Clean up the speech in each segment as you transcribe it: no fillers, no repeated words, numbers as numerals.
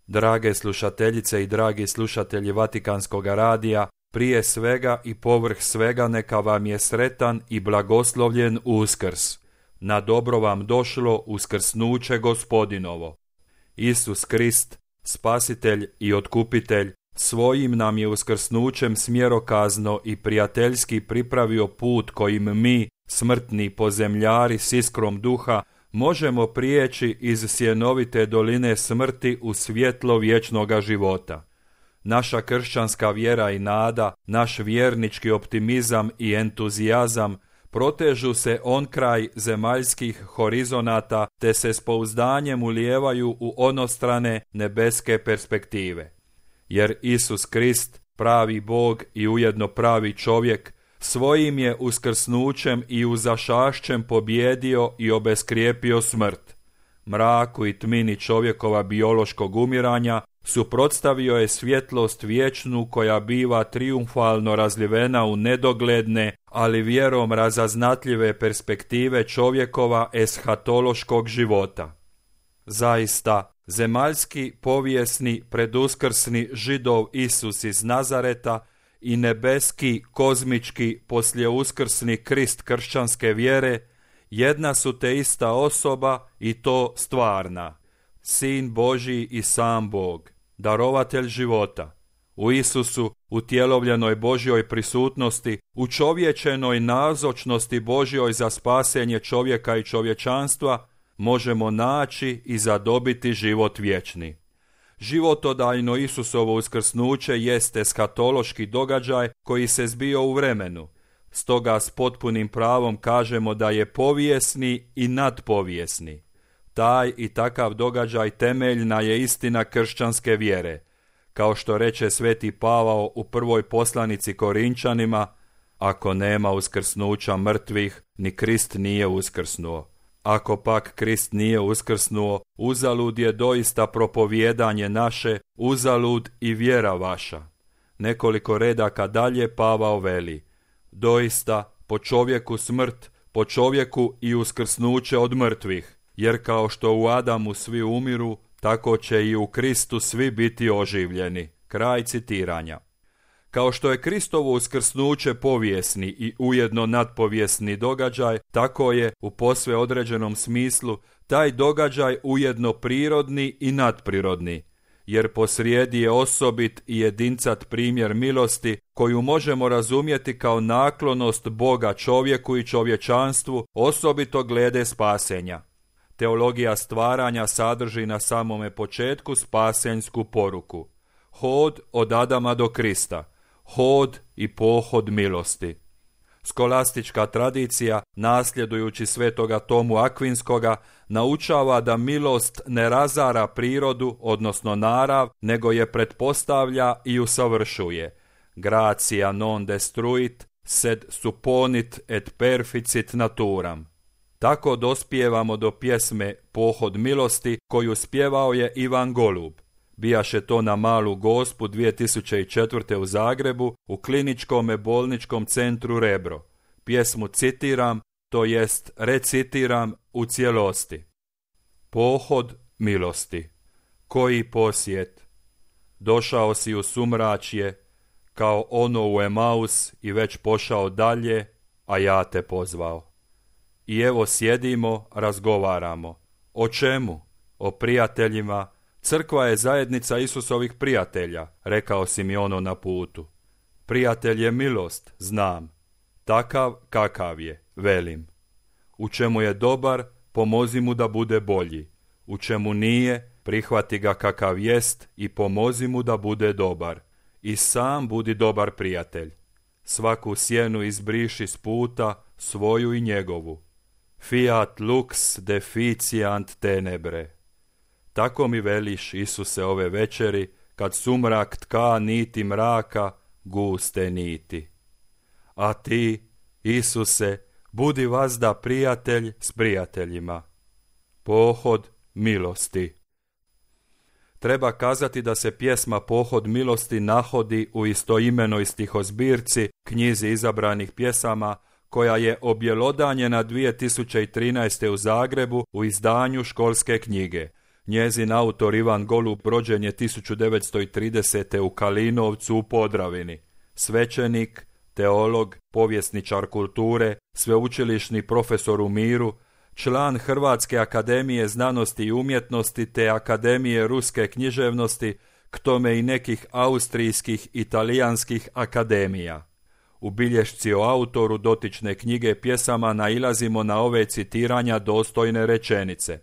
Drage slušateljice i dragi slušatelji Vatikanskog radija, prije svega i povrh svega neka vam je sretan i blagoslovljen Uskrs. Na dobro vam došlo uskrsnuće Gospodinovo. Isus Krist, Spasitelj i Otkupitelj, svojim nam je uskrsnućem smjerokazno i prijateljski pripravio put kojim mi, smrtni pozemljari s iskrom duha, možemo prijeći iz sjenovite doline smrti u svjetlo vječnoga života. Naša kršćanska vjera i nada, naš vjernički optimizam i entuzijazam protežu se onkraj zemaljskih horizonata te se s pouzdanjem ulijevaju u onostrane nebeske perspektive. Jer Isus Krist, pravi Bog i ujedno pravi čovjek, svojim je uskrsnućem i uzašašćem pobjedio i obeskrijepio smrt. Mraku i tmini čovjekova biološkog umiranja suprotstavio je svjetlost vječnu koja biva trijumfalno razlivena u nedogledne, ali vjerom razaznatljive perspektive čovjekova eshatološkog života. Zaista, zemaljski, povijesni, preduskrsni Židov Isus iz Nazareta i nebeski, kozmički, poslijeuskrsni Krist kršćanske vjere jedna su te ista osoba i to stvarna. Sin Božji i sam Bog, darovatelj života. U Isusu, utjelovljenoj Božjoj prisutnosti, u čovječenoj nazočnosti Božjoj za spasenje čovjeka i čovječanstva, možemo naći i zadobiti život vječni. Životodajno Isusovo uskrsnuće jeste eskatološki događaj koji se zbio u vremenu. Stoga s potpunim pravom kažemo da je povijesni i nadpovijesni. Taj i takav događaj temeljna je istina kršćanske vjere. Kao što reče sveti Pavao u prvoj poslanici Korinčanima, ako nema uskrsnuća mrtvih, ni Krist nije uskrsnuo. Ako pak Krist nije uskrsnuo, uzalud je doista propovijedanje naše, uzalud i vjera vaša. Nekoliko redaka dalje Pavao veli, doista po čovjeku smrt, po čovjeku i uskrsnuće od mrtvih, jer kao što u Adamu svi umiru, tako će i u Kristu svi biti oživljeni. Kraj citiranja. Kao što je Kristovo uskrsnuće povijesni i ujedno nadpovijesni događaj, tako je, u posve određenom smislu, taj događaj ujedno prirodni i nadprirodni, jer posrijedi je osobit i jedincat primjer milosti koju možemo razumjeti kao naklonost Boga čovjeku i čovječanstvu, osobito glede spasenja. Teologija stvaranja sadrži na samome početku spasenjsku poruku. Hod od Adama do Krista, hod i pohod milosti. Skolastička tradicija, nasljedujući svetoga Tomu Akvinskoga, naučava da milost ne razara prirodu, odnosno narav, nego je pretpostavlja i usavršuje. Gratia non destruit, sed supponit et perficit naturam. Tako dospijevamo do pjesme Pohod milosti koju spjevao je Ivan Golub. Bijaše to na Malu Gospu 2004. u Zagrebu u kliničkome bolničkom centru Rebro. Pjesmu citiram, to jest recitiram u cijelosti. Pohod milosti. Koji posjet. Došao si u sumračje, kao ono u Emaus i već pošao dalje, a ja te pozvao. I evo sjedimo, razgovaramo. O čemu? O prijateljima. Crkva je zajednica Isusovih prijatelja, rekao si mi ono na putu. Prijatelj je milost, znam. Takav kakav je, velim. U čemu je dobar, pomozi mu da bude bolji. U čemu nije, prihvati ga kakav jest i pomozi mu da bude dobar. I sam budi dobar prijatelj. Svaku sjenu izbriši s puta, svoju i njegovu. Fiat lux deficiant tenebre. Tako mi veliš, Isuse, ove večeri, kad sumrak tka niti mraka, guste niti. A ti, Isuse, budi vazda prijatelj s prijateljima. Pohod milosti. Treba kazati da se pjesma Pohod milosti nahodi u istoimenoj stihozbirci, knjizi izabranih pjesama, koja je objelodanjena 2013. u Zagrebu u izdanju školske knjige. Njezin autor Ivan Golub rođen je 1930. u Kalinovcu u Podravini. Svećenik, teolog, povjesničar kulture, sveučilišni profesor u miru, član Hrvatske akademije znanosti i umjetnosti te Akademije ruske književnosti, k tome i nekih austrijskih i talijanskih akademija. U bilješci o autoru dotične knjige pjesama nailazimo na ove citiranja dostojne rečenice.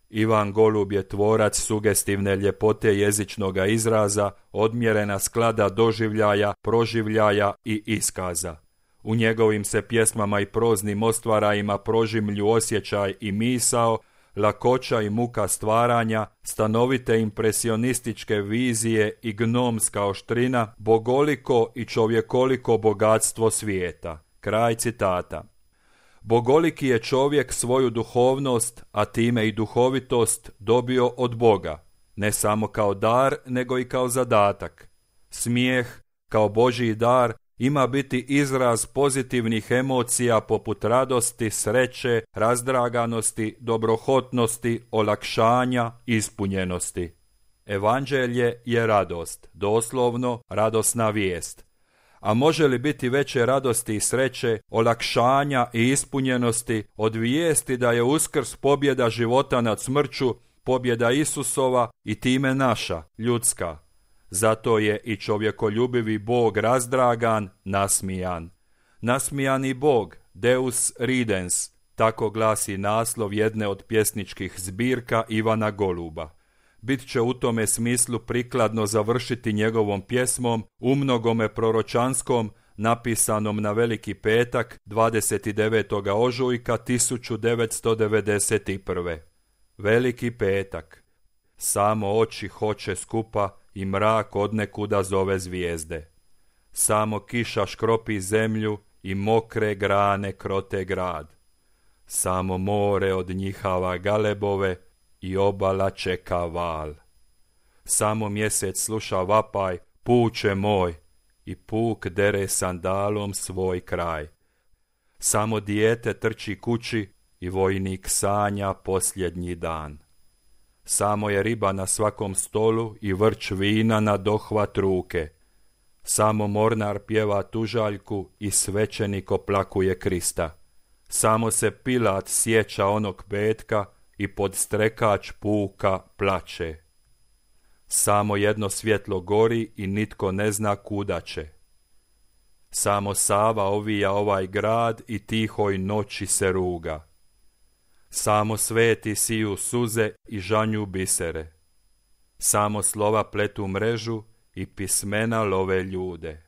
Ivan Golub je tvorac sugestivne ljepote jezičnoga izraza, odmjerena sklada doživljaja, proživljaja i iskaza. U njegovim se pjesmama i proznim ostvarajima prožimlju osjećaj i misao, lakoća i muka stvaranja, stanovite impresionističke vizije i gnomska oštrina, bogoliko i čovjekoliko bogatstvo svijeta. Kraj citata. Bogoliki je čovjek svoju duhovnost, a time i duhovitost, dobio od Boga, ne samo kao dar, nego i kao zadatak. Smijeh, kao Božji dar, ima biti izraz pozitivnih emocija poput radosti, sreće, razdraganosti, dobrohotnosti, olakšanja, ispunjenosti. Evanđelje je radost, doslovno radosna vijest. A može li biti veće radosti i sreće, olakšanja i ispunjenosti od vijesti da je Uskrs pobjeda života nad smrću, pobjeda Isusova i time naša, ljudska. Zato je i čovjekoljubivi Bog razdragan, nasmijan. Nasmijani Bog, Deus ridens, tako glasi naslov jedne od pjesničkih zbirka Ivana Goluba. Bit će u tome smislu prikladno završiti njegovom pjesmom umnogome proročanskom, napisanom na Veliki petak 29. ožujka 1991. Veliki petak. Samo oči hoće skupa i mrak odnekuda zove zvijezde. Samo kiša škropi zemlju i mokre grane krote grad. Samo more od njihava galebove i obala čeka val. Samo mjesec sluša vapaj, puče moj, i puk dere sandalom svoj kraj. Samo dijete trči kući i vojnik sanja posljednji dan. Samo je riba na svakom stolu i vrč vina na dohvat ruke. Samo mornar pjeva tužaljku i svećenik oplakuje Krista. Samo se Pilat sjeća onog petka i podstrekač puka plače. Samo jedno svjetlo gori i nitko ne zna kuda će. Samo Sava ovija ovaj grad i tihoj noći se ruga. Samo sveti siju suze i žanju bisere. Samo slova pletu mrežu i pismena love ljude.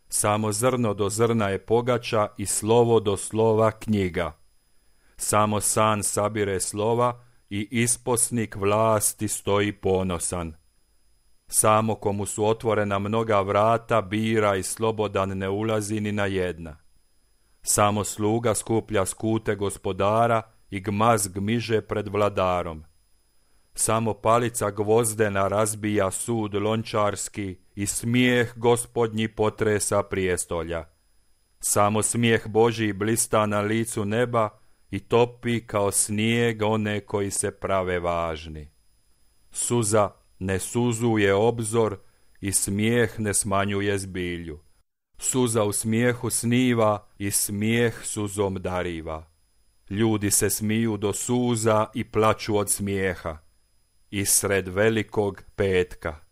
Samo zrno do zrna je pogača i slovo do slova knjiga. Samo san sabire slova i isposnik vlasti stoji ponosan. Samo komu su otvorena mnoga vrata bira i slobodan ne ulazi ni na jedna. Samo sluga skuplja skute gospodara i gmaz gmiže pred vladarom. Samo palica gvozdena razbija sud lončarski i smijeh gospodnji potresa prijestolja. Samo smijeh Božji blista na licu neba i topi kao snijeg one koji se prave važni. Suza ne suzuje obzor i smijeh ne smanjuje zbilju. Suza u smijehu sniva i smijeh suzom dariva. Ljudi se smiju do suza i plaču od smijeha. I sred velikog petka.